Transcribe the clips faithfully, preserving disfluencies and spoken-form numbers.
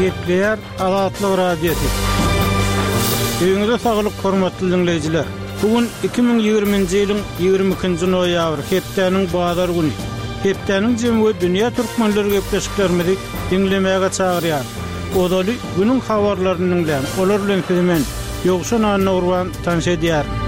Gepleýär Azatlyk Radiosy. Öýüňize saglyk, hormatly diňleýjiler. Bu gün iki müň ýigriminji ýylyň ýigrimi ikinji noýabry, hepdäniň bazar güni. Hepdäniň jemi we dünýä türkmenleri gepleşiklerimizi diňlemäge çagyrýar. Ozaly günüň habarlaryny diňläň. Olar bilen sizi men, Ýowşan Annagurban tanyş edýärin.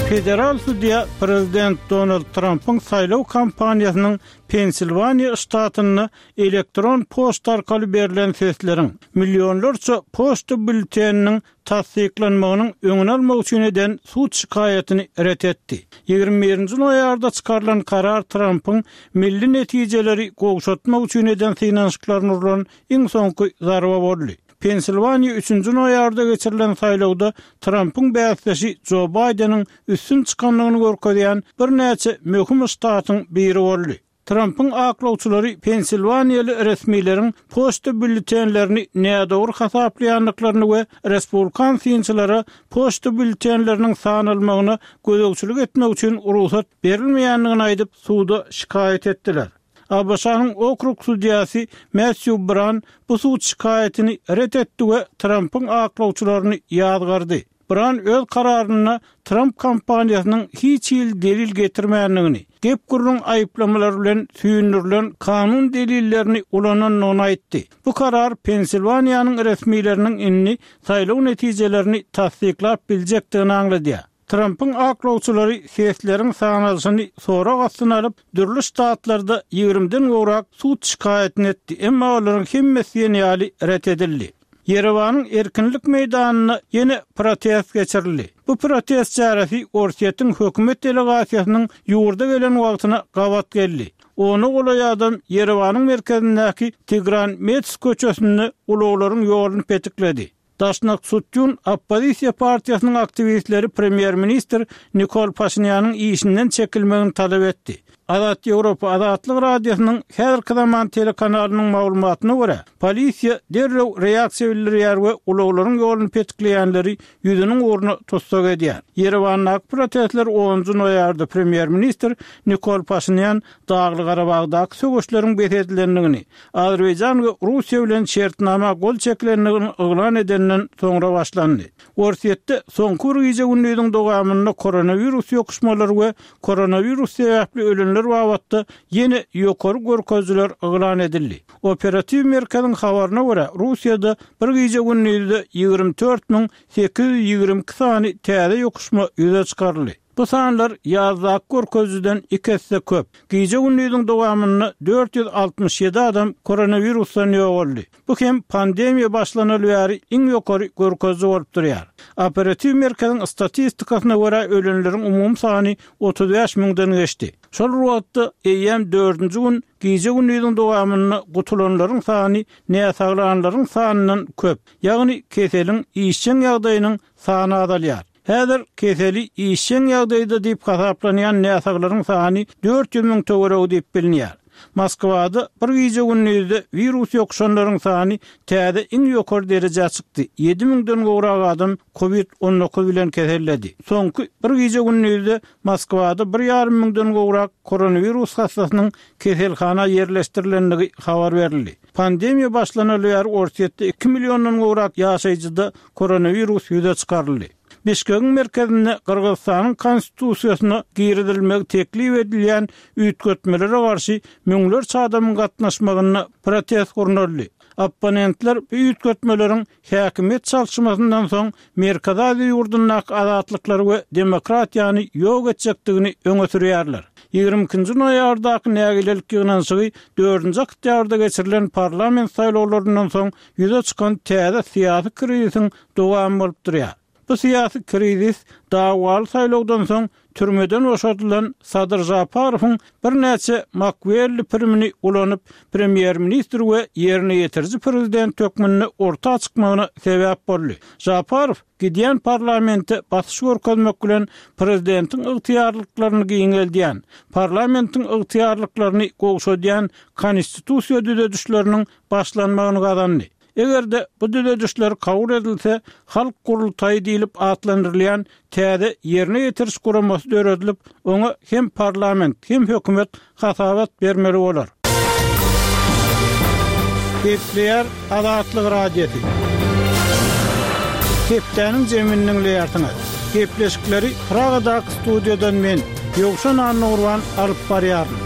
Federal sudýa prezident Donald Trampyň saýlaw kampaniýasynyň Pensilwaniýa ştatynda elektron poçta arkaly berlen sesleriň millionlarça poçta býulleteniniň tassyklanmagynyň öňüni almak üçin eden sud şikaýatyny ret etdi. Ýigrimi birinji noýabrda çykarylan karar Trampyň milli netijeleri gowşatmak üçin eden synanyşyklaryna urlan iň soňky zarba boldy. Pensilwaniýa üçünji noýabrda geçirilen saýlawda Trampyň bäsdeşi Jo Baýdeniň üstün çykandygyny görkezýän birnäçe möhüm ştatyň biri boldy. Trampyň aklawçylary pensilwaniýaly resmileriň poçta býulletenlerini nädogry hasaplaýandyklaryny we respublikan synçylara poçta býulletenleriniň sanalmagyna gözegçilik etmek üçin rugsat berilmeýändigini aýdyp, suda şikaýat etdiler. A B Ş-nyň okrug sudýasy Matthew Bran bu sud şikaýatyny ret etdi we Trampyň aklawçylaryny ýazgardy. Bran öz kararynda Tramp kampaniýasynyň hiç hili delil getirmändigini, gep-gürrüň aýyplamalar bilen süýndürilen kanun delillerini ulanandygyny aýtdy. Bu karar Pensilwaniýanyň resmileriniň indi saýlaw netijelerini tassyklap biljekdigini aňladýar. Trampyň aklawçylary sesleriň sanalyşyny sorag astyna alyp, dürli ştatlarda ýigrimiden gowrak sud şikaýatyny etdi, emma olaryň hemmesi diýen ýaly ret edildi. Ýerewanyň Erkinlik meýdanynda ýene protest geçirildi. Bu protest çäresi Orsýetiň hökümet delegasiýasynyň ýurda gelen wagtyna gabat geldi. Ona golaý adam Ýerewanyň merkezindäki Tigran Mets köçesinde ulaglaryň ýoluny petikledi. Daşnaksutyun oppozisiýa partiýasynyň aktiwistleri premýer-ministr Nikol Paşinýanyň işinden çekilmegini talap etdi. Azat Ýewropa Azatlyk Radiosynyň häzirki zaman telekanalynyň maglumatyna görä, polisiýa derrew reaksiýa bildirýär we ulaglaryň ýoluny petikleýänleri ýüzüniň ugruna tussag edýär. Ýerewandaky protestler onunjy noýabrda premýer-ministr Nikol Paşinýan Dagly-Garabagdaky söweşleriň bes edilendigini, Azerbaýjan we Russiýa bilen şertnama gol çekilendigini yglan edenden soňra başlandy. Orsýetde soňky bir gije-gündiziň dowamynda koronawirus ýokuşmalary we koronawirus sebäpli ölenler babatda ýene ýokary görkezijiler yglan edildi. Operatiw merkeziň habaryna görä, Russiýada bir gije-gündizde ýigrimi dört müň sekiz ýüz ýigrimi iki sany täze ýokuşma ýüze çykaryldy. Bu sanlar ýazdaky görkezijiden iki esse köp. Gije-gündiziň dowamynda dört ýüz altmyş ýedi adam koronawirusdan ýogaldy. Bu hem pandemiýa başlanaly bäri iň ýokary görkeziji bolup durýar. Operatiw merkeziň statistikasyna görä, ölenleriň umumy sany otuz bäş müňden geçdi. Şol bir wagtda, eýýäm dördünji gün gije-gündiziň dowamynda gutulanlaryň sany näsaglanlaryň sanyndan köp, ýagny keseliň işjeň ýagdaýynyň sany azalýar. Häzir keseli işjeň ýagdaýda diýip hasaplanýan näsaglaryň sany dört ýüz müň töweregi diýip bilinýär. Moskwada bir gije-gündizde wirus ýokuşanlaryň sany täze iň ýokary derejä çykdy, ýedi müňden gowrak adam covid on dokuz bilen keselledi. Soňky bir gije-gündizde Moskwada bir ýarym müňden gowrak koronawirus hassasynyň keselhana ýerleşdirilendigi habar berildi. Pandemiýa başlanaly bäri Orsýetde iki milliondan gowrak ýaşaýjyda koronawirus ýüze çykaryldy. Bişkegiň merkezinde Gyrgyzystanyň Konstitusiýasyna girizilmegi teklip edilýän üýtgetmelere garşy müňlerçe adamyň gatnaşmagynda protest gurnaldy. Opponentler bu üýtgetmeleriň häkimiýet çalşmasyndan soň Merkezi Aziýa ýurdundaky azatlyklary we demokratiýany ýok etjekdigini öňe sürýärler. Ýigrimi ikinji noýabrdaky nägilelik ýygnanyşygy dördünji oktýabrda geçirilen parlament saýlawlaryndan soň ýüze çykan täze syýasy krizisiň dowamy bolup durýar. Bu syýasy krizis dawaly saýlawdan soň türmeden boşadylan Sadyr Žaparowyň birnäçe Makwelli primini ulanyp, premýer-ministr we ýerine ýetiriji prezident hökmünde orta çykmagyna sebäp boldy. Žaparow gidýän parlamente basyş görkezmek bilen prezidentiň ygtyýarlyklaryny giňeldýän, parlamentiň ygtyýarlyklaryny gowşadýan konstitusiýa düzedişleriniň başlanmagyny gazandy. Eger-de bu düzedişler kabul edilse, Halk gurultaýy diýlip atlandyrylýan täze ýerine ýetiriş guramasy döredilip, oňa hem parlament, hem hökümet hasabat bermeli bolar. Gepleýär Azatlyk Radiosy. Hepdäniň jemini diňleýärsiňiz. Gepleşikleri Pragadaky studiýadan men, Ýowşan Annagurban alyp barýaryn.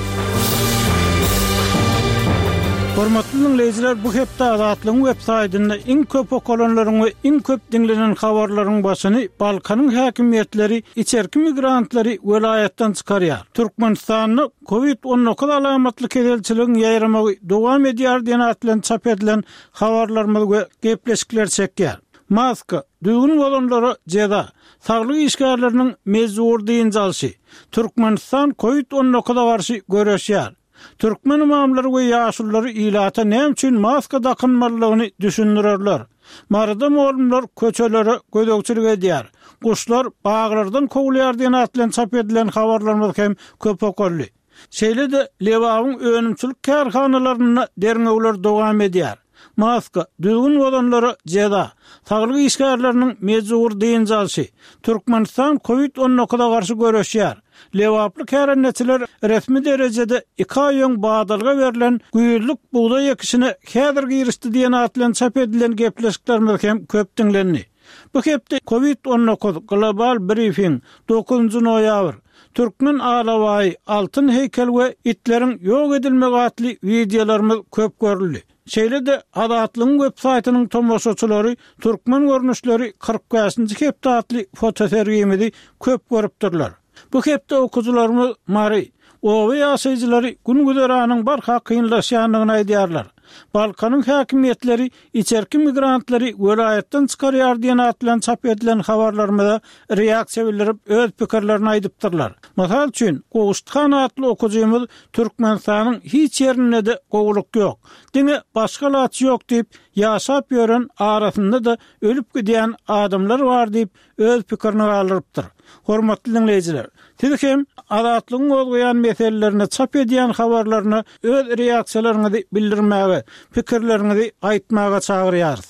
Hormatly diňleýjiler, bu hepde Azatlygyň web saýtynda iň köp okalanlaryň we iň köp diňlenen habarlaryň başyny Balkanyň häkimiýetleri içerki migrantlary welaýatdan çykarýar. Türkmenistanda Covid on dokuz alamatly keselçiligiň ýaýramagy dowam edýär diýen at bilen çap edilen habarlarymyz we gepleşikler çekýär. Maska, düzgün bozanlara jeza, saglyk işgärleriniň mejbur dynç alşy, Türkmenistan Covid on dokuza garşy göreşýär. Türkmen ymamlary we ýaşululary ilata näme üçin maska dakynmalydygyny düşündirerler. Maryda mugallymlar köçelere gözegçilik edýär. Guşlar baglardan kowulýar diýen at bilen çap edilen habarlarymyz hem köp okaldy. Şeýle-de Lebabyň önümçilik kärhanalarynda derňewler dowam edýär. Maska, düzgün bozanlara jeza, saglyk işgärleriniň mejbur dynç alşy, Türkmenistan Covid on dokuza garşy göreşýär. Lebaply kärendeçiler resmi derejede iki aý öň badalga berlen güýzlük bugdaý ekişine häzir girişdi diýen at bilen çap edilen gepleşiklerimiz hem köp diňlendi. Bu hepde Covid on dokuz global briefing dokuzynjy noýabr, Türkmen alabaýy, altyn heýkel we itleriň ýok edilmegi atly wideolarymyz köp görüldi. Şeýle-de Azatlygyň web saýtynyň tomaşaçylary Türkmen görnüşleri kyrk bäşinji hepde atly fotosergimizi köp görüpdirler. Bu hepde okyjylarymyz Mary, oba ýaşaýjylary gün güzeranyň barha kynlaşýandygyny aýdýarlar. Balkanyň häkimiýetleri içerki migrantlary welaýatdan çykarýar diýen at bilen çap edilen habarlarymyza reaksiýa bildirip öz pikirlerini aýdypdyrlar. Mysal üçin, Gowuşthan atly okyjymyz Türkmenistanyň hiç ýerinde-de gowulyk ýok. Diňe başga laç ýok diýip, ýaşap ýören arasynda-da ölüp gidýän adamlar bar diýip öz pikirini galdyrypdyr. Hormatly diňleýjiler, siz hem Azatlygyň gozgaýan meselelerine çap edýän habarlaryna öz reaksiýalaryňyzy bildirmäge, pikirleriňizi aýtmaga çagyrýarys.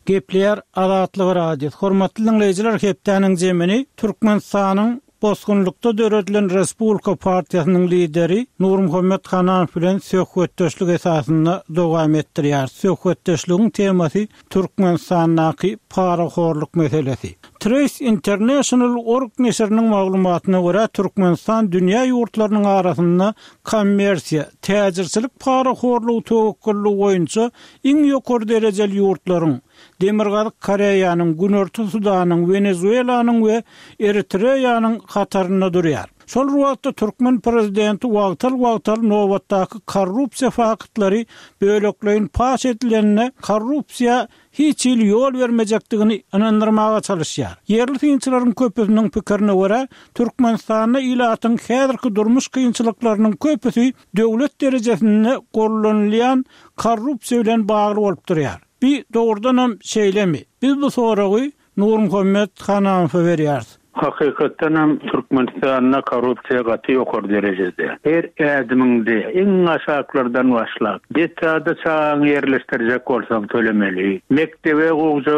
Gepleýär Azatlyk Radiosy. Hormatly diňleýjiler, hepdäniň jemini Türkmenistanyň bosgunlykda döredilen Respublika partiýasynyň lideri Nurmuhammet Hananow bilen söhbetdeşlik esasynda dowam etdirýär. Söhbetdeşligiň temasy Türkmenistandaky parahorluk meselesi. Trace International org neşiriniň maglumatyna görä Türkmenistan dünýä ýurtlarynyň arasynda kommersiýa, täjirçilik parahorlugy töwekgelliği boýunça iň ýokary derejeli ýurtlaryň Demirgazyk Koreýanyň, Günorta Sudanyň, Wenezuelanyň we Eritreýanyň hatarynda durýar. Şol wagtda türkmen prezidenti wagtal-wagtal nobatdaky korrupsiýa faktlary bölekleýin paş edilenine korrupsiýa hiç hili ýol bermejekdigini ynandyrmaga çalışýar. Ýerli synçylaryň köpüsiniň pikirine görä, Türkmenistanda ilatyň häzirki durmuş kynçylyklarynyň köpüsi döwlet derejesinde gollanylýan korrupsiýa bilen bagly bolup durýar. Bir dogrudanam şeýlemi? Biz bu soragy Nurmuhammet Hananowa berýäris. Hakykatdan hem Türkmenistanda korrupsiýa gaty ýokary derejede. Her ädiminde iň aşaklardan başlap, detada çaňy ýerleşdirjek bolsaň tölemeli. Mekdebe gowja,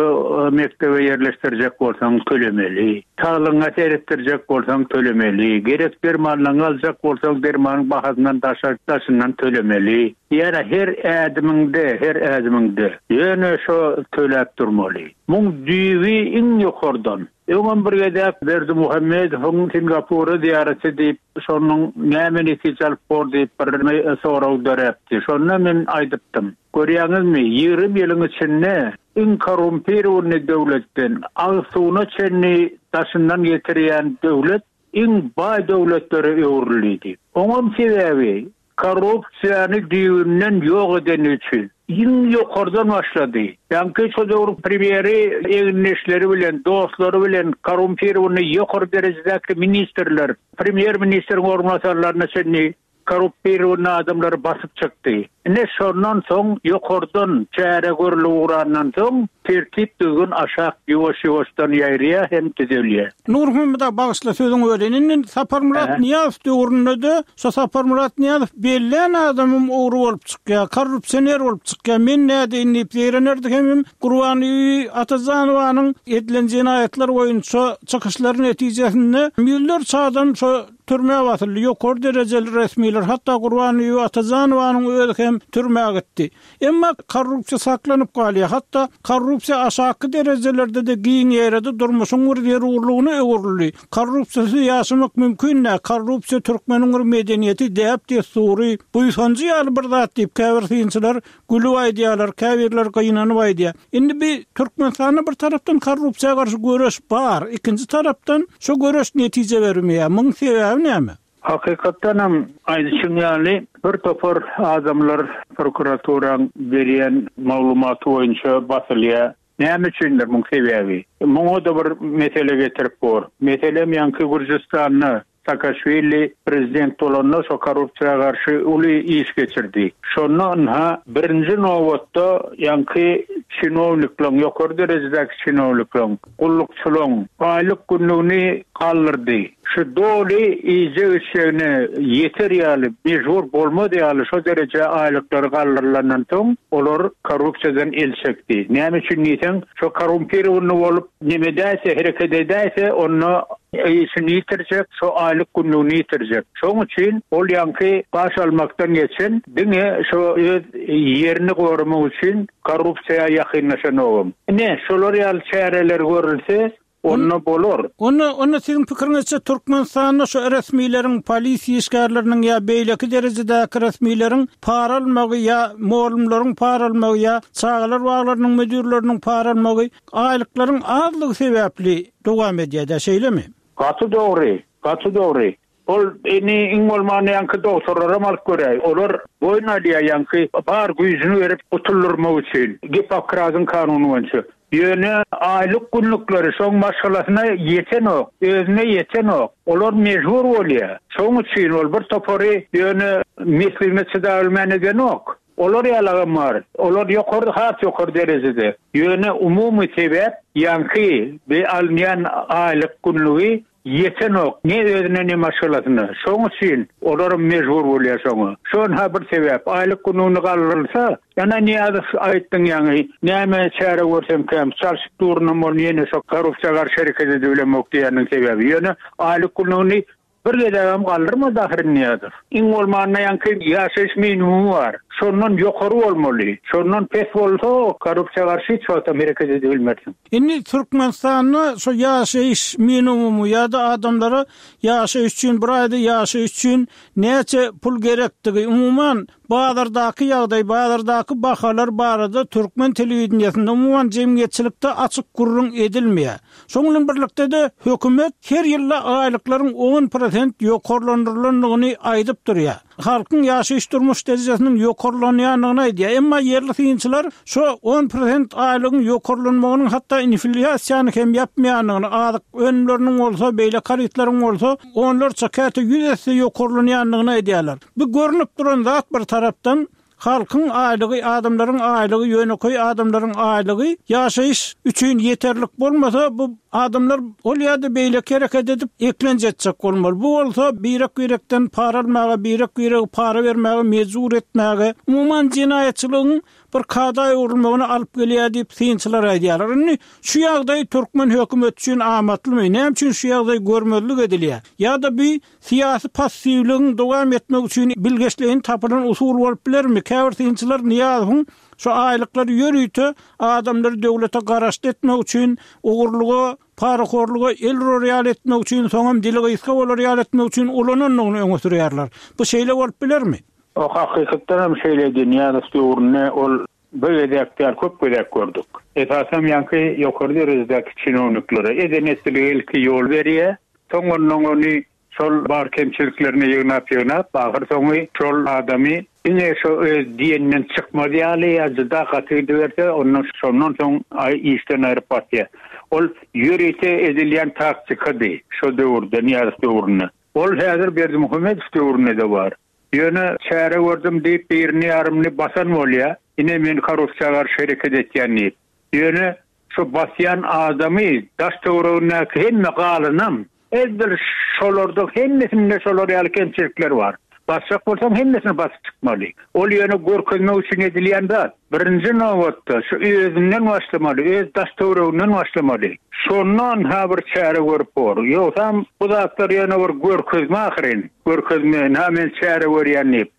mekdebe ýerleşdirjek bolsaň tölemeli. Saglygyňa seretdirjek bolsaň tölemeli. Gerek dermanlaryňy aljak bolsaň dermanyň bahasyndan daşar, daşyndan tölemeli. Ýa her ädiminde, her ädiminde ýöne şo töläp durmaly. Muň düýbi iň ýokardan. Öňem bir gezek Berdimuhamedowyň Singapura ziýareti diýip, şonuň näme netije alyp bor diýip bir sorag döräpdi. Şonda men aýdypdym. Görýäňizmi, ýigrimi ýylyň içinde iň korrumpirowny döwletden agyz suwuna çenli daşyndan getirýän döwlet iň baý döwletlere öwrüldi. Oňam sebäbi korrupsiýany düýbünden ýok edeni üçin. Iň ýokardan başlady. Ýaňky şo döwür premýeri egindeşleri bilen, dostlary bilen korrumpirowny ýokary derejedäki ministrler, premýer ministriň orunbasarlaryna çenli korrumpirowny adamlary basyp çykdy. Ine şondan soň ýokardan çäre görülip ugrandan soň tertip düzgün aşak ýuwaş-ýuwaşdan ýaýraýar hem düzelýär. Nurmuhammet aga, bagyşla sözüňi böleýin. Indi Saparmyrat Aha. Nyýazow döwründe-de şo Saparmyrat Nyýazow bellän adamym ogry bolup çykýar, korrupsioner bolup çykýar. Men nädeýin diýip zeýrenerdi hem Gurbanguly Atajanowanyň edilen jenaýatlar boýunça çykyşlary netijesinde ýüzlerçe adam şo türmä basyldy, ýokary derejeli resmiler, hatda Gurbanbibi Atajanowanyň özi hem türmä gitdi. Emma korrupsiýa saklanyp galýar. Hatda korrupsiýa aşaky derejelerde-de giň ýaýrady, durmuşyň bir zerurlygyna öwrüldi. Korrupsiýasyz ýaşamak mümkin däl. Korrupsiýa türkmeniň bir medeniýeti, däp-dessury, buýsanjy ýaly bir zat diýip käbir synçylar gülüp aýdýarlar, käbirler gynanyp aýdýar. Indi bi Türkmenistanda bir tarapdan korrupsiýa garşy göreş bar, ikinji tarapdan şo göreş netije bermeýär. Muň sebäbi näme? Hakykatdan hem aýdyşyň ýaly bir topar adamlar prokuraturaň berýän maglumaty boýunça basylýar. Näme üçindir muň sebäbi? Muňa-da bir mesele getirip bor. Meselem ýaňky Gürjüstanda Saakaşwili prezident bolanda şo korrupsiýa garşy uly iş geçirdi. Şonda ynha birinji nobatda ýaňky çinowniklaryň, ýokary derejedäki çinowniklaryň, gullukçylaryň aýlyk günlügini galdyrdy. Şu doly iýjek içjegine ýeter ýaly, mejbur bolmaz ýaly şo dereje aýlyklary galdyrylandan soň olar korrupsiýadan el çekdi. Näme üçin diýseň, şo korrumpirowny bolup neme edäýse, hereket edäýse, onda işini ýitirjek, şo aýlyk günlügini ýitirjek. Şoň üçin ol ýaňky baş almakdan geçen diňe şo öz ýerini goramak üçin korrupsiýa ýakynlaşan ogum. Ine, şolar ýaly çäreler görülse, onda bolar. Onda, onda siziň pikiriňizçe Türkmenistanda şu resmileriň, polisiýa işgärleriniň ýa beýleki derejedäki resmileriň para almagy ýa mugallymlaryň para almagy ýa çagalar baglarynyň müdürleriniň para almagy aýlyklaryň azlygy sebäpli dowam edýär, şeýlemi? Gaty dogry, gaty dogry. Ol eni iň bolmanda ýaňky doktorlara alyp göräý. Olar boýun alýar ýaňky bar güýjüni berip gutuldurmak üçin Gippokratyň kanuny boýunça. Ýöne aýlyk günlükleri şoň maşgalasyna ýetenok, özüne ýetenok. Olar mejbur bolýar. Şoň üçin ol bir topary ýöne mesligine çydabilmän edenok. Olar ýalagam bar. Olar ýokary, has ýokary derejede. Ýöne umumy sebäp ýaňky be alynýan aýlyk günlügi ýetenok. Ne özüne ne maşgalasyna. Şoň üçin olar mejbur bolýar şoňa. Şon ha bir sebäp aýlyk gününi galdyrylsa, ýana Niýazow aýtdyň ýaňy, näme çäre görsem kem, çalşyp durunam ol ýene şo korrupsiýa garşy hereket edibilemok diýeniň sebäbi. Ýöne aýlyk gününi bir gezegem galdyrmady ahyry Niýazow. Iň bolmanda ýaňky ýaşaýyş minimumy bar. Şondan ýokary bolmaly. Şondan pes bolsa korrupsiýa garşy hiç wagtam hereket edibilmersiň. Indi Türkmenistanda şo ýaşaýyş minimumy ýa-da adamlara ýaşaýyş üçin bir aýda ýaşaýyş üçin näçe pul gerekdigi, umuman bazardaky ýagdaý, bazardaky bahalar barada türkmen telewideniýesinde umuman jemgyýetçilikde açyk gürrüň edilmeýär. Şonuň bilen birlikde-de hökümet her ýylda aýlyklaryň on prosent ýokarlandyrylandygyny aýdyp durýar. Halkyň ýaşaýyş durmuş derejesiniň ýokarlanýandygyny aýdýar. Emma ýerli synçylar şo on prosent aýlygyň ýokarlanmagynyň hatda inflýasiýany hem ýapmaýandygyny, azyk önümleriniň bolsa, beýle harytlaryň bolsa onlarça käte ýüz esse ýokarlanýandygyny aýdýarlar. Bu görnüp duran zat bir tarapdan halkyň aýlygy, adamlaryň aýlygy, ýönekeý adamlaryň aýlygy ýaşaýyş üçin ýeterlik bolmasa, bu adamlar ol ýa-da beýleki hereket edip eklenç etjek bolmaly. Bu bolsa birek-birekden para almaga, birek-birege para bermäge mejbur etmäge, umuman jenaýatçylygyň bir kada öwrülmegine alyp gelýär diýip synçylar aýdýarlar. Indi şu ýagdaý türkmen hökümeti üçin amatlymy? Näme üçin şu ýagdaý görmezlik edilýär? Ýa-da bir syýasy passiwligiň dowam etmek üçin bilgeşleýin tapylan usul bolup bilermi? Käbir synçylar Niýazowyň şu aýlyklary ýörite adamlary döwlete garaşly etmek üçin, ogurlyga, parahorluga el urar ýaly etmek üçin, soňam dili gysga bolar ýaly etmek üçin ulanandygyny öňe sürýärler. Bu şeýle bolup bilermi? O hakykatdan hem şeýle Niýazow döwründe ol bir gezek däl, köp gezek gördük. Esasam ýaňky ýokary derejedäki çinowniklere eden etdiligi ilki ýol berýär. Soň ondan ony şol bar kemçiliklerini ýygnap ýygnap, ahyr soňy şol adamy diňe şo öz diýeninden çykmaz ýaly ýa juda gaty gidiberse, ondan şondan soň aý işden aýryp basýar. Ol ýörite edilýän taktikady şo döwürde, Niýazow döwründe. Ol häzir Berdimuhamedow döwründe de bar. Ýöne çäre gördüm diýip birini ýarymyny basan bolýar. Ine men korrupsiýa garşy hereket etýän diýip. Ýöne şu basýan adamy daş töweregindäki hemme galynam edil şolarda hemmesinde şolar ýaly kemçilikler bar. Basjak bolsaň hemmesini basyp çykmaly. Ol ýöne görkezmek üçin edilýän zat. Birinji nobatda şu özünden başlamaly, öz daş töwereginden başlamaly. Şondan ha bir çäre görüp bor. Ýogsam bu zatlar ýöne bir görkezme ahyryn. Görkezme, ha men çäre görýän diýip.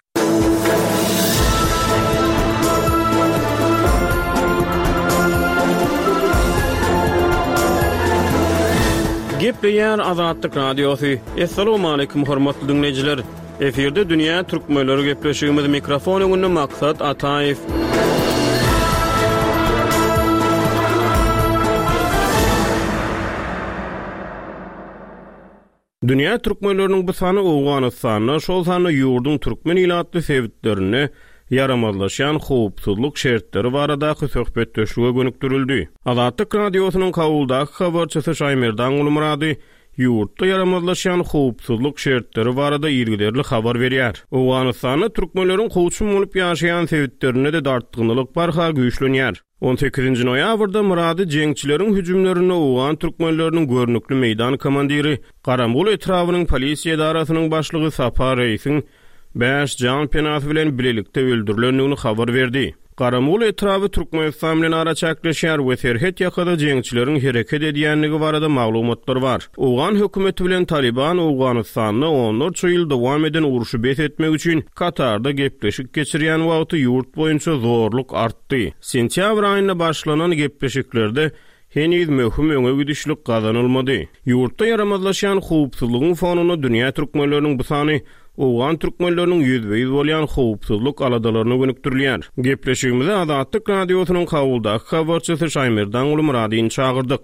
Gepleýär Azatlyk Radiosy. Assalamualaikum hormatly dinleýjiler. Efirde Dünýä Türkmenleri gepleşigimiz mikrofon öňünde Maksat Ataýew. Dünýä türkmenleriniň bu sany Owganystanda, şol sanda ýurduň türkmen ilatly sebitlerinde ýaramazlaşýan howpsuzlyk şertleri baradaky söhbetdeşlige gönükdirildi. Azatlyk Radiosynyň Kabuldaky habarçysy Şaýmerdan Gulmyrady ýurtda ýaramazlaşýan howpsuzlyk şertleri barada ýergiderli habar berýär. Owganystanda türkmenleriň kowçum bolup ýaşaýan sebitlerinde de dartgynlyk barha güýçlenýär. on sekizinji noýabrda Myrady jeňçileriň hüjümlerinde Owgan türkmenleriniň görnükli meýdan komandiri Garamgul etrabynyň polisiýa edarasynyň başlygy Sapa Reýsiň bäş jan penasy bilen bilelikde öldürilendigini habar berdi. Garamgul etraby Türkmenistan bilen araçakleşýär we serhet ýakada jeňçileriň hereket edýänligi barada maglumatlar bar. Owgan hökümeti bilen Taliban Owganystanda onlarça ýyl dowam eden urşy bes etmek üçin Katarda gepleşik geçirýän wagty ýurt boýunça zorluk artdy. Sentýabr aýynda başlanan gepleşiklerde heniz möhüm öňe gidişlik gazanylmady. Ýurtda ýaramazlaşýan howpsuzlygyň fonunda dünýä türkmenleriniň bu sany Owgan türkmenleriniň ýüzbe-ýüz bolýan howpsuzlyk aladalaryna gönükdirilýär. Gepleşigimize Azatlyk Radiosynyň Kabuldaky habarçysy Şaýmerdan Gulmyradyny çagyrdyk.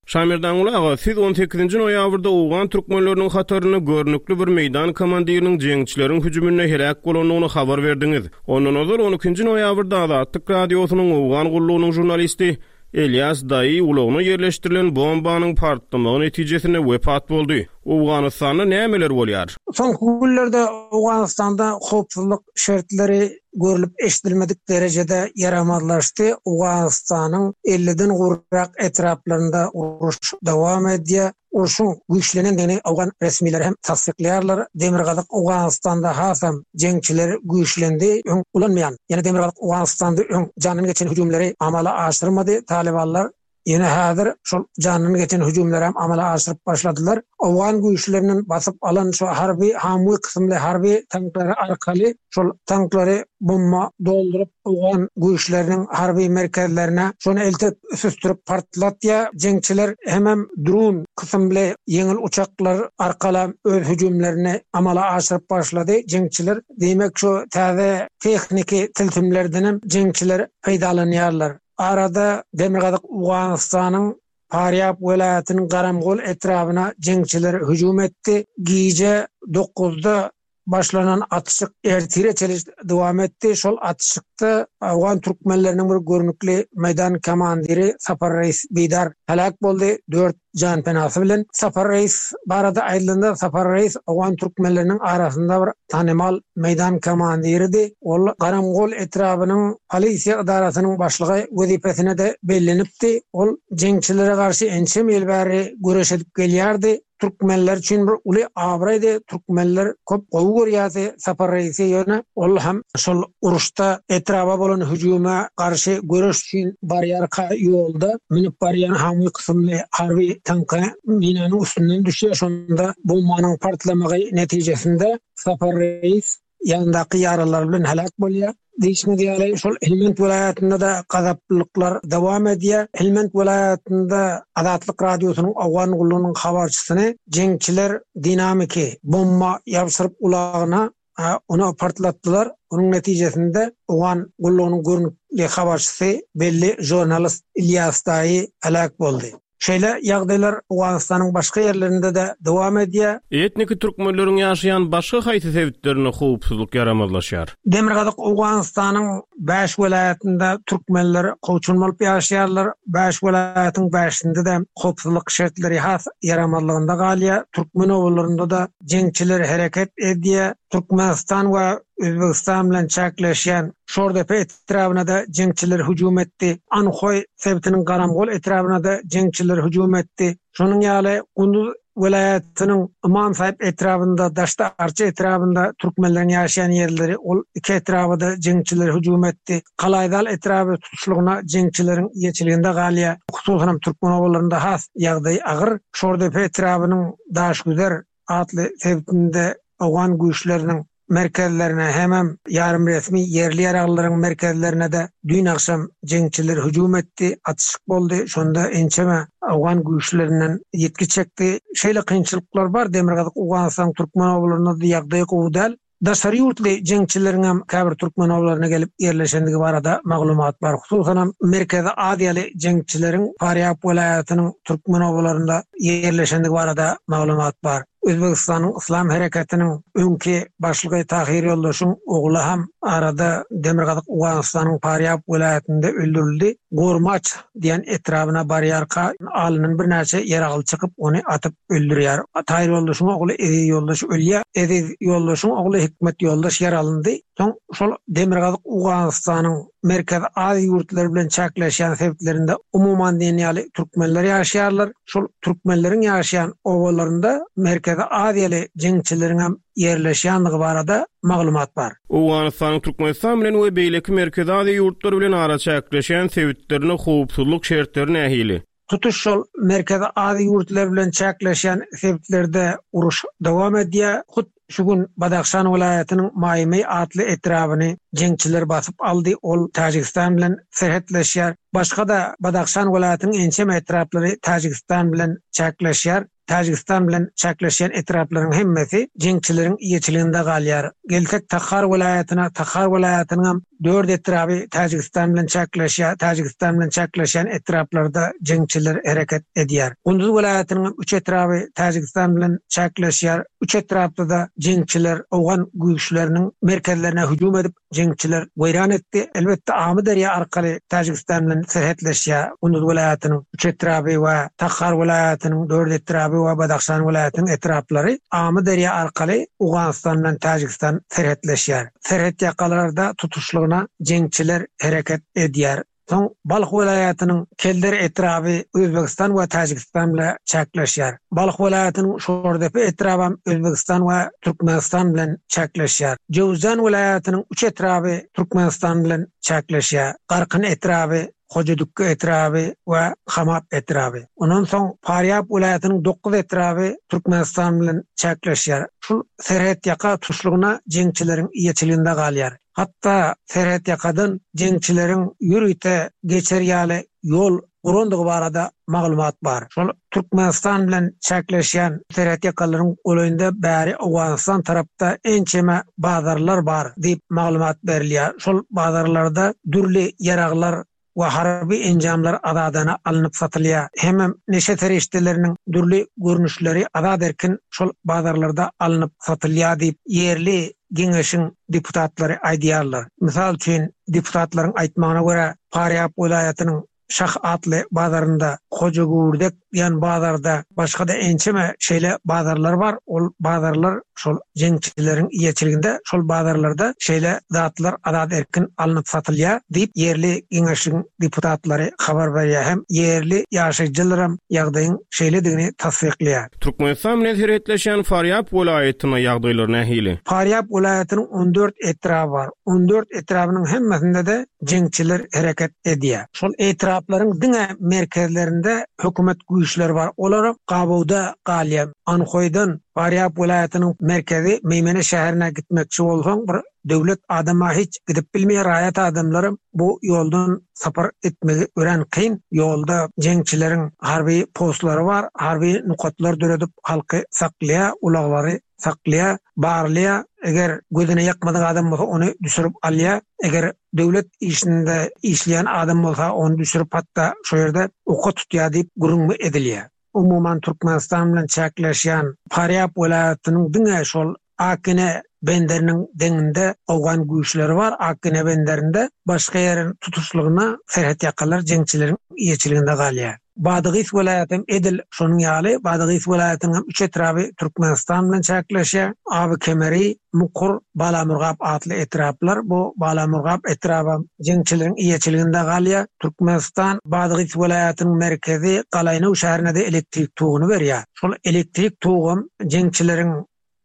Şaýmerdan Gul aga, siz on sekizinji noýabrda Owgan türkmenleriniň hatarynda görnükli bir meýdan komandiriniň jeňçileriň hüjüminde heläk bolandygyny habar berdiňiz. Ondan ozal on ikinji noýabrda Azatlyk Radiosynyň Owgan gullugynyň žurnalisti Elias Daýy ulagyna ýerleşdirilen bombanyň partlamagy netijesinde wepat boldy. Owganystanda nämeler bolýar? Soňky günlerde Owganystanda howpsuzlyk şertleri görülüp eşidilmedik derejede ýaramazlaşdy. Owganystanyň elliden gowrak etraplarynda uruş dowam edýär. Urşuň güýçlenendigini Owgan resmileri hem tassyklaýarlar. Demirgazyk Owganystanda hasam jeňçiler güýçlendi, öň ulanmaýan. Ýene Demirgazyk Owganystanda öň jandan geçen hüjümleri amala aşyrmady Talibanlar. Ýene häzir şol jandan geçen hüjümleri hem amala aşyryp başladylar. Owgan güýçleriniň basyp alan şu harby Hamwi kysymly harby tanklary arkaly şol tanklary bomba dolduryp Owgan güýçleriniň harby merkezlerine şony eltip süstürip partlatýar. Jeňçiler hemem drone kysymly ýeňil uçaklar arkaly öz hüjümlerini amala aşyryp başlady. Jeňçiler diýmek şu täze tehniki tilsimlerden hem jeňçiler peýdalanýarlar. Arada Demirgazyk Owganystanyň Parýap welaýatynyň Garamgol etrabyna jeňçiler hüjüm etdi. Gije dokuzda başlanan atyşyk ertire çenli dowam etdi. Şol atyşykda Owgan türkmenleriniň bir görnükli meýdan komandiri Sapar Reis Bidar heläk boldy. Dört jan penasy bilen Sapar Reis barada aýdylanda Sapar Reis Owgan türkmenleriniň arasynda bir tanymal meýdan komandiridi. Ol Garamgol etrabynyň polisiýa edarasynyň başlygy wezipesine de bellenipdi. Ol jeňçilere garşy ençe ýyl bäri göreş edip gelýärdi. Türkmenler üçin bir uly abraýdy. Türkmenler köp gowy görýärdi Sapar Reisi ýöne ol hem şol uruşda etraba bolan hüjüme garşy göreş üçin barýarka ýolda münüp barýan Hamwi kysymly harby tanka minanyň üstünden düşýär. Şonda bombanyň partlamagy netijesinde Sapar Reis ýandaky ýaralar bilen heläk bolýar. Diýişimiz ýaly şol Helmand welaýatynda da gazaplyklar dowam edýär. Helmand welaýatynda Azatlyk Radiosynyň Owgan gullugynyň habarçysyny jeňçiler dinamiki bomba ýapyşyryp ulagyna, a, onu partlatdylar. Onuň netijesinde Owgan gullugynyň görnükli habarçysy belli žurnalist İlyas Daýy heläk boldy. Şeýle ýagdaýlar Owganystanyň başga ýerlerinde de dowam edýär. Etniki türkmenleriň ýaşaýan başga haýsy sebitlerinde howpsuzlyk ýaramazlaşýar? Demirgazyk Owganystanyň bäş welaýatynda türkmenler kowçun bolup ýaşaýarlar. Bäş welaýatyň bäşinde de howpsuzlyk şertleri has ýaramazlygynda galýar. Türkmen obalarynda da jeňçiler hereket edýär. Türkmenistan we Özbegistan bilen çäkleşýän Şordepe etrabyna da jeňçiler hüjüm etdi. Anhoý sebitiniň Garamgol etrabyna da jeňçiler hüjüm etdi. Şonuň ýaly Gunduz welaýatynyň Ymam Saýyp etrabynda, Daşda Arça etrabynda türkmenleriň ýaşaýan ýerleri, ol iki etraba-da jeňçiler hüjüm etdi. Galaýdal etraby tutuşlygyna jeňçileriň eýeçiliginde galýar. Hususanam türkmen obalarynda has ýagdaý agyr. Şordepe etrabynyň Daşgüzer atly sebitinde owgan güýçleriniň merkezlerine hemem ýarym resmi ýerli ýaraglylaryň merkezlerine-de düýn agşam jeňçiler hüjüm etdi, atyşyk boldy, şonda ençeme owgan güýçlerinden ýitgi çekdi. Şeýle kynçylyklar bar, Demirgazyk Owganystanyň türkmen obalarynda-da ýagdaý gowy däl. Daşary ýurtly jeňçileriňem käbir türkmen obalaryna gelip ýerleşendigi barada maglumat bar. Hususanam Merkezi Aziýaly jeňçileriň Farýab welaýatynyň türkmen obalarynda ýerleşendigi barada maglumat bar. Özbegistanyň Yslam hereketiniň öňki başlygy Tahyr Ýoldaşyň ogly hem arada Demirgazyk Owganystanyň Farýab welaýatynda öldürildi. Gormaç diýen etrabyna barýarka alnyndan birnäçe ýaragly çykyp, ony atyp öldürýär. Tahyr Ýoldaşyň ogly Eziz Ýoldaş ölýär. Eziz Ýoldaşyň ogly Hikmet Ýoldaş ýaralyndy. Soň şol Demirgazyk Owganystanyň Merkezi Aziýa ýurtlary bilen çäkleşýän sebitlerinde umuman diýen ýaly türkmenler ýaşaýarlar. Şol türkmenleriň ýaşaýan obalarynda Merkezi Aziýaly jeňçileriň hem ýerleşýändigi barada maglumat bar. Owganystanyň Türkmenistan bilen we beýleki Merkezi Aziýa ýurtlary bilen araçäkleşýän sebitlerinde howpsuzlyk şertleri nähili? Tutuş şol Merkezi Aziýa ýurtlary bilen çäkleşýän sebitlerde uruş dowam edýär. Hut şu gün Badahşan welaýatynyň Maýmy atly etrabyny jeňçiler basyp aldy. Ol Täjigistan bilen serhetleşýär. Başga-da Badahşan welaýatynyň ençeme etraplary Täjigistan bilen çäkleşýär. Täjigistan bilen çäkleşýän etraplaryň hemmesi jeňçileriň eýeçiliginde galýar. Gelsek Takhar welaýatyna, Takhar welaýatynyň hem dört etraby Täjigistan bilen çäkleşýär. Täjigistan bilen çäkleşýän etraplarda jeňçiler hereket edýär. Gunduz welaýatynyň hem üç etraby Täjigistan bilen çäkleşýär. Üç etrapda-da jeňçiler owgan güýçleriniň merkezlerine hüjüm edip, jeňçiler weýran etdi. Elbetde Amyderýa arkaly Täjigistan bilen serhetleşýär. Gunduz welaýatynyň üç etraby we Takhar welaýatynyň dört etraby we Badahşan welaýatynyň etraplary Amyderýa arkaly Owganystan bilen Täjigistan serhetleşýär. Serhet ýakalarda tutuşlygyna jeňçiler hereket edýär. Soň Balh welaýatynyň Kelder etraby Özbegistan we Täjigistan bilen çäkleşýär. Balh welaýatynyň Şordepe etraby hem Özbegistan we Türkmenistan bilen çäkleşýär. Jöwzjan welaýatynyň üç etraby Türkmenistan bilen çäkleşýär. Garkyn etraby, Hojadükki etraby we Hamap etraby. Ondan soň Farýab welaýatynyň dokuz etraby Türkmenistan bilen çäkleşýär. Şul serhet ýaka tutuşlygyna jeňçileriň eýeçiliginde galýar. Hatda serhet ýakadan jeňçileriň ýörite geçer ýaly ýol gurandygy barada maglumat bar. Şol Türkmenistan bilen çäkleşýän serhet ýakalaryň golaýynda bäri Owganystan tarapda ençeme bazarlar bar diýip maglumat berilýär. Şol bazarlarda dürli ýaraglar we harby enjamlar azadana alnyp satylýar. Hemem neşe serişdeleriniň dürli görnüşleri azat erkin şol bazarlarda alnyp satylýar diýip ýerli geňeşiň deputatlary aýdýarlar. Mysal üçin deputatlaryň aýtmagyna görä Farýab welaýatynyň Şah atly bazarynda, Hojagürdek diýen bazarda, başga-da ençeme şeýle bazarlar bar. Ol bazarlar şol jeňçileriň eýeçiliginde, şol bazarlarda şeýle zatlar azat erkin alnyp satylýar diýip ýerli geňeşiň deputatlary habar berýär. Hem ýerli ýaşaýjylar hem ýagdaýyň şeýledigini tassyklaýar. Türkmenistan bilen serhetleşýän Farýab welaýatynda ýagdaýlar nähili? Farýab welaýatynyň on dört etraby bar. On dört etrabynyň hemmesinde-de jeňçiler hereket edýär. Şol etraplaryň diňe merkezlerinde hökümet güýçleri bar. Olar gabawda galýar. Anhoýdan Farýab welaýatynyň merkezi Meýmene şäherine gitmekçi bolsaň, bir döwlet adama hiç gidip bilmeýär. Raýat adamlaram bu ýoldan sapar etmegi örän kyn. Ýolda jeňçileriň harby postlary bar, harby nokatlar döredip halky saklaýar, ulaglary saklaýar, barlaýar. Eger gözüne ýakmadyk adam bolsa ony düşürip alýar. Eger döwlet işinde işleýän adam bolsa ony düşürip hatda şo ýerde oka tutýar diýip gürrüň edilýär. Umuman Türkmenistan bilen çäkleşýän Farýab welaýatynyň diňe şol Akine benderiniň deňinde owgan güýçleri bar. Akine benderinde başga ýeriň tutuşlygyna serhet ýakalar jeňçileriň eýeçiliginde galýar. Badagys welaýaty edil şonuň ýaly, Badagys welaýatynyň hem üç etraby Türkmenistan bilen çäkleşýär. Aby Kemeri, Mukur, Balamurgap atly etraplar. Bu Balamurgap etraby jeňçileriň eýeçiliginde galýar. Türkmenistan Badagys welaýatynyň merkezi Galaýnow şäherine-de elektrik toguny berýär. Şol elektrik togam jeňçileriň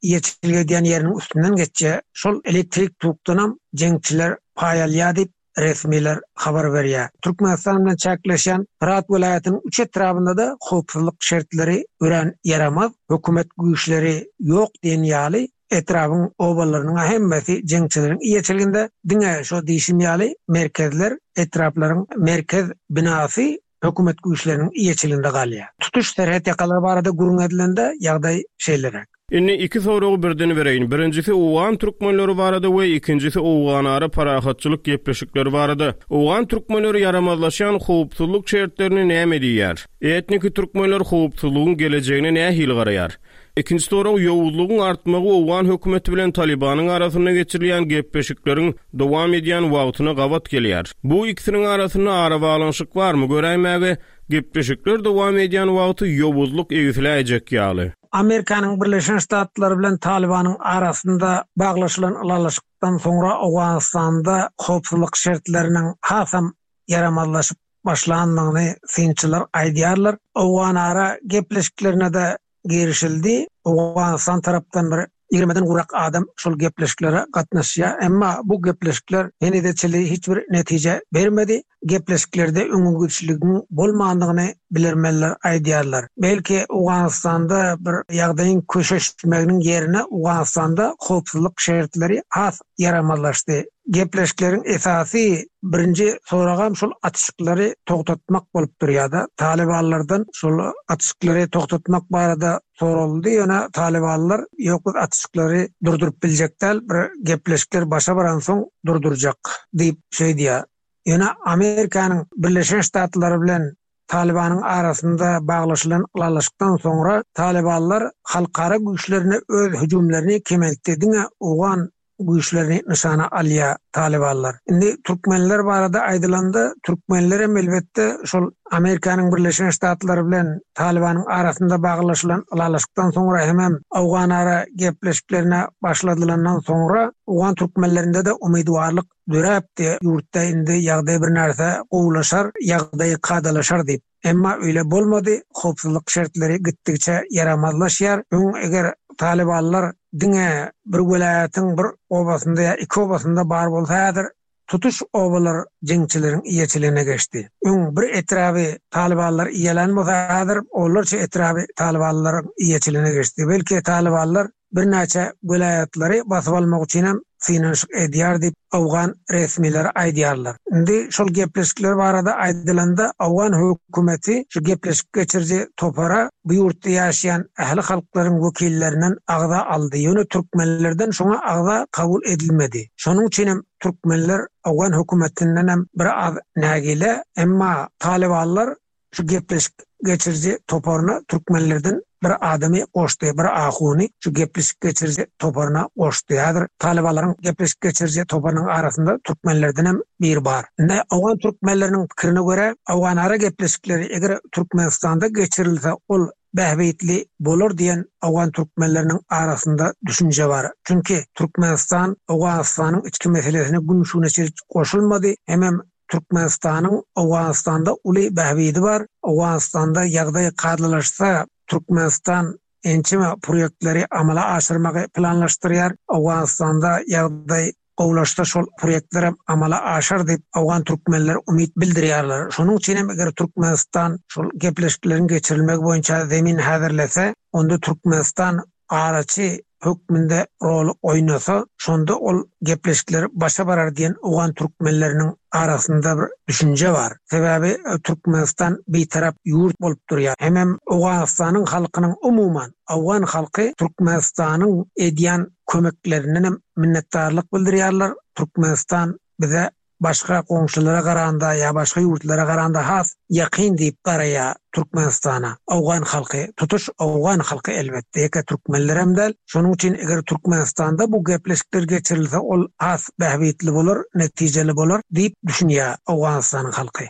eýeçilik edýän ýeriniň üstünden geçýär. Şol elektrik tokdanam jeňçiler paý alýar diýip resmiler habar berýär. Türkmenistan bilen çäkleşýän Hyrat welaýatynyň üç etrabynda-da howpsuzlyk şertleri örän ýaramaz, hökümet güýçleri ýok diýen ýaly etrabyň obalarynyň hemmesi jeňçileriň eýeçiliginde, diňe şo diýşim ýaly merkezler, etraplaryň merkez binasy hökümet güýçleriniň eýeçiliginde galýar. Tutuş serhet ýakalary barada gürrüň edilende ýagdaý şeýleräk. Indi iki soragy birden bereýin. Birinjisi owgan türkmenleri barada we ikinjisi owganara parahatçylyk gepleşikleri barada. Owgan türkmenleri ýaramazlaşýan howpsuzlyk şertlerini näme diýýär? Etniki türkmenler howpsuzlygyň gelejegine nähili garaýar? Ikinji sorag ýowuzlygyň artmagy owgan hökümeti bilen Talibanyň arasynda geçirilýän gepleşikleriň dowam edýän wagtyna gabat gelýär. Bu ikisiniň arasynda arabaglanyşyk barmy göräýmäge gepleşikler dowam edýän wagty ýowuzlyk egsiläýjek ýaly. Amerikanyň Birleşen Ştatlary bilen Talibanyň arasynda baglaşylan ylalaşykdan soňra Owganystanda howpsuzlyk şertleriniň hasam ýaramazlaşyp başlandygyny synçylar aýdýarlar. Owganara gepleşiklerine-de girişildi. Owganystan tarapdan bir ýigrimeden gowrak adam şol gepleşiklere gatnaşýar. Emma bu gepleşikler henize çenli hiç bir netije bermedi. Gepleşiklerde öňegidişligiň bolmandygyny bilermenler aýdýarlar. Belki Owganystanda bir ýagdaýyň köşeşmeginiň ýerine Owganystanda howpsuzlyk şertleri has ýaramazlaşdy. Gepleşikleriň esasy birinji soragam şol atyşyklary togtatmak bolup durýar-da. Talibanlardan şol atyşyklary togtatmak barada soraldy. Ýöne Talibanlar ýok biz atyşyklary durduryp biljek däl, bir gepleşikler başa baransoň durdurjak diýip şeýdýär. Ýöne Amerikanyň Birleşen Ştatlary bilen Talibanyň arasynda baglaşylan ylalaşykdan soňra Talibanlar halkara güýçlerine öz hüjümlerini kemeltdi. Diňe owgan güýçlerini nyşana alýar Talibanlar. Indi türkmenler barada aýdylanda, türkmenler hem elbetde şol Amerikanyň Birleşen Ştatlary bilen Talibanyň arasynda baglaşylan ylalaşykdan soňra hemem Owganara gepleşiklerine başladylandan soňra owgan türkmenlerinde-de umydwarlyk döräpdi. Ýurtda indi ýagdaý bir närse gowulaşar, ýagdaý kadalaşar diýip. Emma öyle bolmady. Howpsuzlyk şertleri gitdikçe ýaramazlaşýar. Öň eger Talibanlar diňe bir welaýatyň bir obasynda ýa iki obasynda bar bolsa, häzir tutuş obalar jeňçileriň eýeçiligine geçdi. Öň bir etraby Talibanlar eýelän bolsa, häzir onlarça etraby Talibanlaryň eýeçiligine geçdi. Belki Talibanlar birnäçe welaýatlary basyp almak üçin hem synanyşyk edýär diýip owgan resmileri aýdýarlar. Indi şol gepleşikler barada aýdylanda owgan hökümeti şu gepleşik geçiriji topara bu ýurtda ýaşaýan ähli halklaryň wekillerinden agza aldy. Ýöne türkmenlerden şoňa agza kabul edilmedi. Şonuň üçin hem türkmenler owgan hökümetinden hem bir az nägile, emma Talibanlar şu gepleşik geçiriji toparyna türkmenlerden bir adamy goşdy, bir ahuny şu gepleşik geçiriji toparyna goşdy. Häzir Talibanlaryň gepleşik geçiriji toparynyň arasynda türkmenlerden hem biri bar. Indi owgan türkmenleriniň pikirine görä, owganara gepleşikleri eger Türkmenistanda geçirilse, ol bähbitli bolar diýen owgan türkmenleriniň arasynda düşünje bar. Çünki Türkmenistan Owganystanyň içki meselesine gün şuna çenli goşulmady. Hemem Türkmenistanyň Owganystanda uly bähbidi bar. Owganystanda ýagdaý kadalaşsa, Türkmenistan ençeme proýektleri amala aşyrmagy planlaşdyrýar. Owganystanda ýagdaý gowulaşsa şol proýektler amala aşar diýip owgan türkmenler umyt bildirýärler. Şonuň üçin hem eger Türkmenistan şol gepleşikleriň geçirilmegi boýunça zemin häzirlese, onda Türkmenistan araçy hökmünde rol oýnasa, şonda ol gepleşikler başa barar diýen owgan türkmenleriniň arasynda bir düşünje bar. Sebäbi e, Türkmenistan bitarap ýurt bolup durýar. Hemem Owganystanyň halkynyň umuman owgan halky Türkmenistanyň edýän kömeklerinden hem minnetdarlyk bildirýärler. Türkmenistan bize başga goňşulara garanda ýa başga ýurtlara garanda has ýakyn diýip garaýar Türkmenistana. Owgan halky, tutuş owgan halky elbetde ýeke türkmenler hem däl. Şonuň üçin eger Türkmenistanda bu gepleşikler geçirilse, ol has bähbitli bolar, netijeli bolar diýip düşünýär Owganystanyň halky.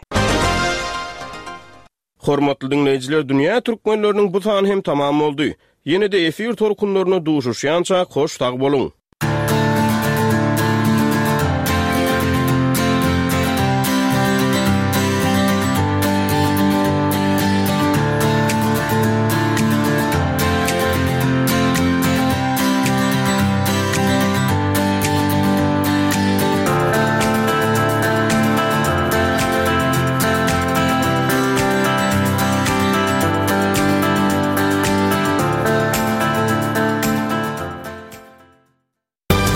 Hormatly diňleýjiler, dünýä türkmenleriniň bu sany hem tamam boldy. Ýene-de efir tolkunlarynda duşuşýançak hoş sag boluň!